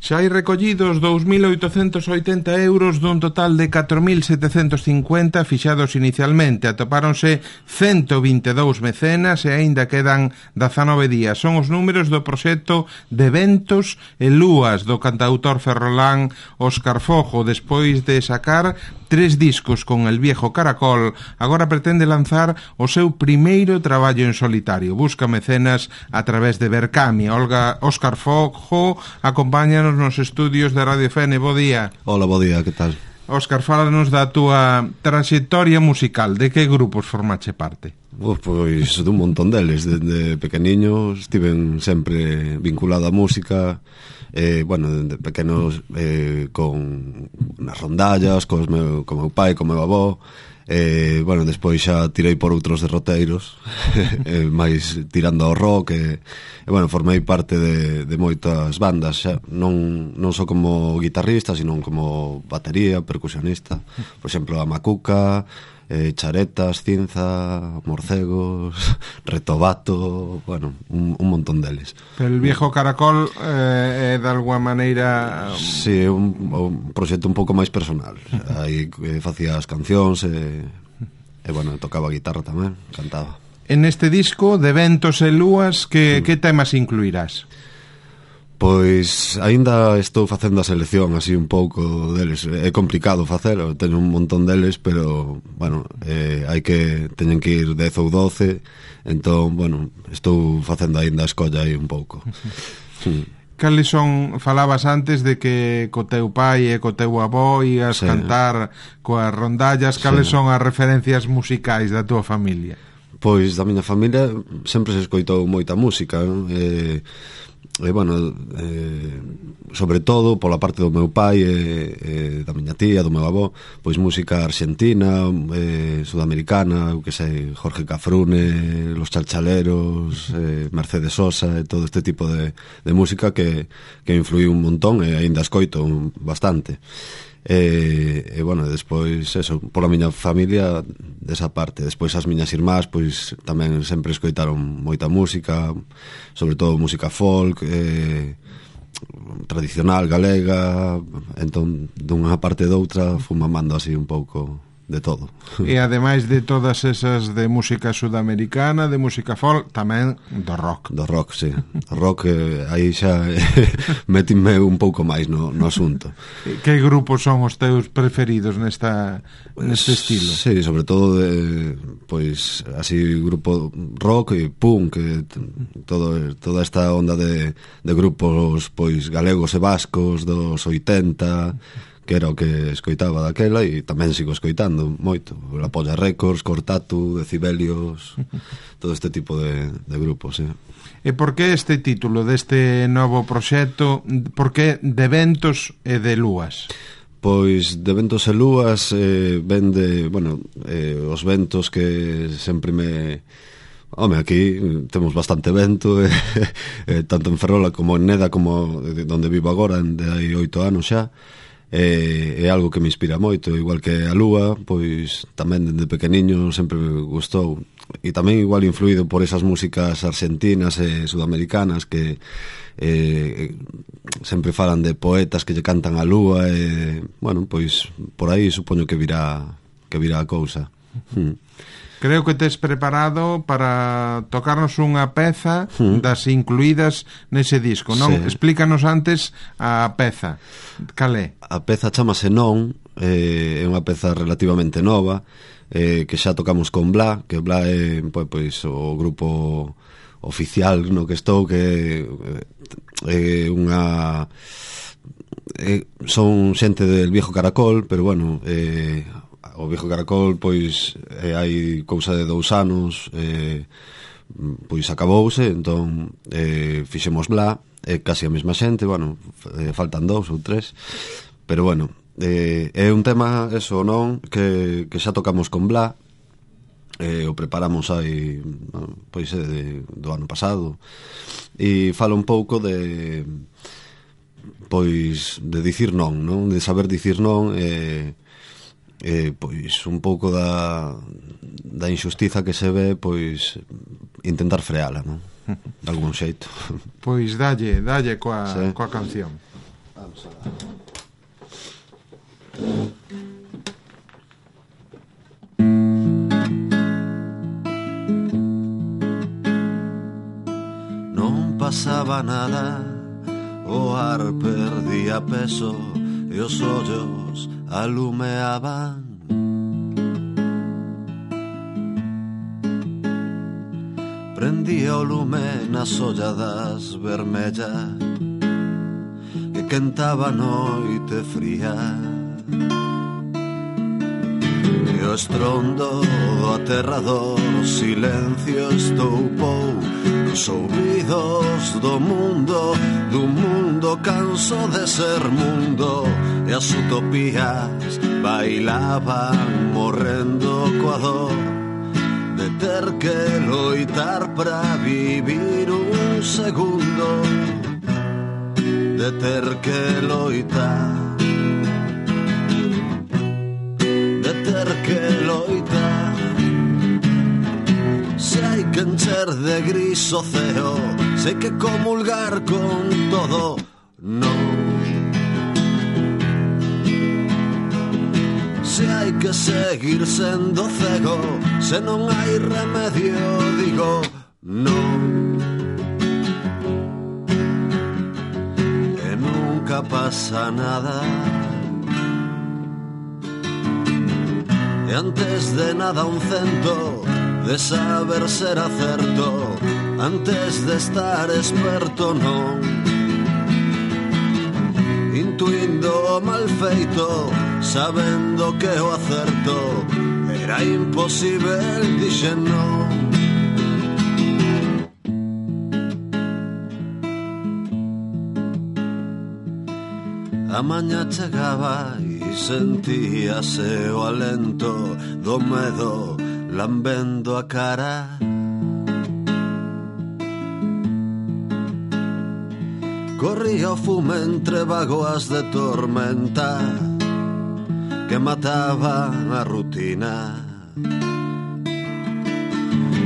Xa hai recollidos 2.880 euros dun total de 4.750 fixados inicialmente. Atopáronse 122 mecenas e aínda quedan 19 días. Son os números do proxecto de Ventos e Lúas do cantautor ferrolán Óscar Fojo. Despois de sacar 3 discos con El Viejo Caracol, agora pretende lanzar o seu primeiro traballo en solitario. Busca mecenas a través de Berkami. Óscar Fojo acompáñanos nos estudios de Radio Fene. Bo día. Hola, bo día, que tal? Óscar, fálanos da túa trayectoria musical. De que grupos formache parte? Pois dun montón deles. Desde pequeniño estiven sempre vinculado á música. Bueno, de pequenos con nas rondallas, co meu pai, co meu avó. Bueno, despois xa tirei por outros derroteiros máis tirando ao rock e bueno, formei parte de moitas bandas xa, non só como guitarrista, sino como batería, percusionista. Por exemplo, a Macuca, Charetas, Cinza, Morcegos, Retobato, bueno, un montón deles. Pero El Viejo Caracol é de alguma maneira... Sí, é un proxecto un pouco máis personal. Aí facía as cancións e bueno, tocaba guitarra tamén, cantaba. En este disco de Ventos e Lúas, que temas incluirás? Pois aínda estou facendo a selección así un pouco deles. É complicado facelo, teño un montón deles, pero bueno, teñen que ir 10 ou 12. Entón, bueno, estou facendo aínda a escolla aí un pouco. Cales son, falabas antes de que co teu pai e co teu avó ias cantar coas rondallas, cales son as referencias musicais da tua familia? Pois da miña familia sempre se escoitou moita música, non? Bueno, sobre todo pola parte do meu pai e da miña tía, do meu avó, pois música argentina, sudamericana, eu que sei, Jorge Cafrune, Los Chalchaleros, Mercedes Sosa e todo este tipo de música que influiu un montón e aínda escoito bastante. E bueno, despois eso, pola miña familia desa parte. Despois as miñas irmás pois tamén sempre escoitaron moita música, sobre todo música folk, tradicional galega. Entón, dunha parte e doutra fui mamando así un pouco de todo. E ademais de todas esas de música sudamericana, de música folk, tamén do rock. Do rock, sí. O rock, aí xa metime un pouco máis no asunto. Que grupos son os teus preferidos neste estilo? Sí, sobre todo pois así grupo rock e punk, toda esta onda de grupos pois galegos e vascos dos 80, que era o que escoitaba daquela e tamén sigo escoitando moito. La Polla Records, Cortatu, Decibelios, todo este tipo de grupos, sí. E por que este título deste novo proxecto? Por que de Ventos e de Lúas? Pois de Ventos e Lúas ven de, bueno, os ventos que sempre me... Home, aquí temos bastante vento, tanto en Ferrola como en Neda, como onde vivo agora, de hai 8 anos xa. É algo que me inspira moito, igual que a lúa, pois tamén dende pequeniño sempre me gustou, e tamén igual influído por esas músicas argentinas e sudamericanas que sempre falan de poetas que lle cantan a lúa e, bueno, pois por aí supoño que virá a cousa. Creo que tes preparado para tocarnos unha peza das incluídas nese disco, non? Sí. Explícanos antes a peza. Cal é? A peza chamase Non, é unha peza relativamente nova, que xa tocamos con Bla, que Bla é pois o grupo oficial no que estou, que é unha... son xente del Viejo Caracol, pero bueno... O Viejo Caracol, pois, hai cousa de 2 anos, pois acabouse, entón fixemos Bla, casi a mesma xente, bueno, faltan 2 ou 3, pero bueno, é un tema, eso, non, que xa tocamos con Bla, o preparamos aí, pois, do ano pasado, e fala un pouco de, pois, de dicir non, de saber dicir non, pois un pouco da injustiza que se ve, pois intentar freala, non? De algún xeito. Pois dalle coa canción. Vamos a ver. Non pasaba nada, o ar perdía peso e os ollos alumeaban. Prendía o lume nas olladas vermellas que quentaba a noite fría, e o estrondo do aterrador silencio estoupou nos ouvidos do mundo canso de ser mundo, e as utopías bailaban morrendo coa dor de ter que loitar para vivir un segundo, de ter que loitar, de ter que loitar. Se hai que encher de gris o ceo, se hai que comulgar con todo, non. Se hai que seguir sendo cego, se non hai remedio, digo non. E nunca pasa nada, e antes de nada un cento de saber ser acerto, antes de estar experto non. Intuindo o mal feito, sabendo que o acerto era imposible, dixen non. A maña chegaba e sentíase o alento do medo lambendo a cara. Corría o fume entre vagoas de tormenta que mataban a rutina,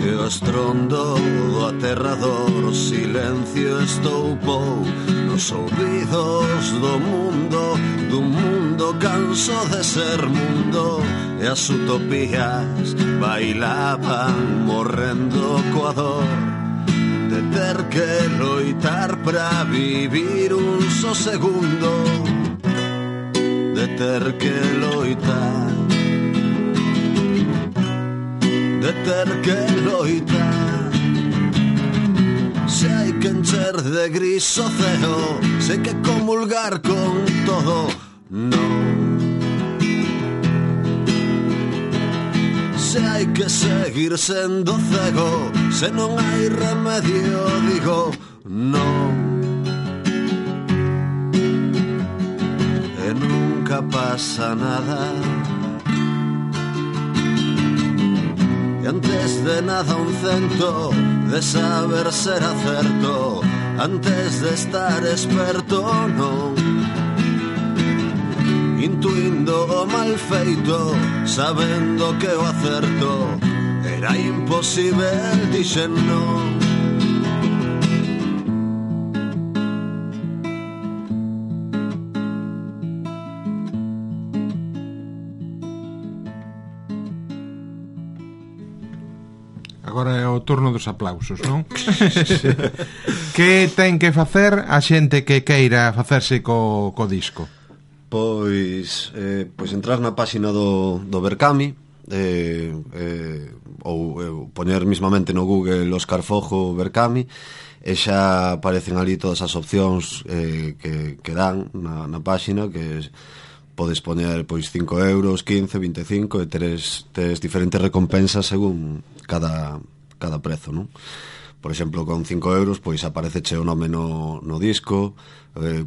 e o estrondo do aterrador silencio estoupou nos ouvidos do mundo canso de ser mundo, e as utopías bailaban morrendo coa dor de ter que loitar para vivir un só segundo, de ter que loitar, de ter que loitar. Se hai que encher de gris o ceo, se hai que comulgar con todo, non. Se hai que seguir sendo cego, se non hai remedio, digo non. E nunca pasa nada, e antes de nada un cento de saber ser acerto, antes de estar experto non. Intuindo o mal feito, sabendo que o acerto era imposible, dixen non. Agora é o turno dos aplausos, non? Que ten que facer a xente que queira facerse co disco? Pois entrar na páxina do Berkami, ou poñer mismamente no Google Óscar Fojo Berkami, e xa aparecen ali todas as opcións que dan na páxina, que podes poñer pois 5 euros, 15, 25, e tes diferentes recompensas según cada prezo, non? Por exemplo, con 5 euros pois apareceche o nome no disco,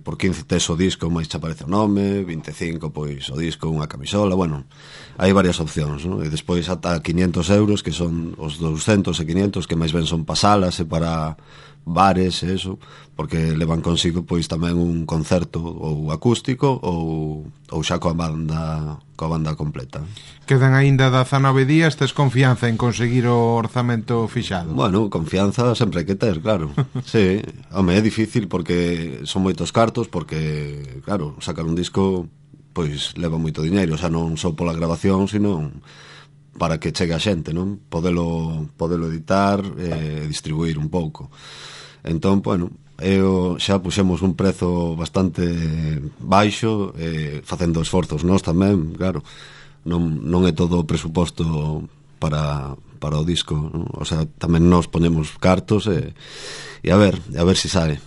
por 15 tes o disco máis che aparece o nome, 25 pois o disco, unha camisola, bueno, hai varias opcións, non? E despois ata 500 euros, que son os 200 e 500 que máis ben son pasalas e para bares e eso, porque levan consigo pois tamén un concerto ou acústico ou xa coa banda completa. Quedan aínda 19 días, tes confianza en conseguir o orzamento fixado? Bueno, confianza sempre hai que ter, claro. Sí, home, é difícil porque son moitos cartos, porque, claro, sacar un disco pois leva moito diñeiro, xa non só pola grabación, sino para que chegue a xente, non? Podelo editar e distribuir un pouco. Entón, bueno, xa puxemos un prezo bastante baixo, facendo esforzos nós tamén, claro. Non é todo o presuposto para o disco, non? O sea, tamén nós ponemos cartos e a ver se sae.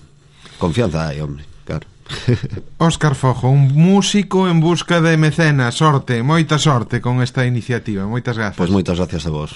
Confianza hai, hombre, claro. Óscar Fojo, un músico en busca de mecenas. Sorte, moita sorte con esta iniciativa. Moitas grazas. Pois moitas gracias a vos.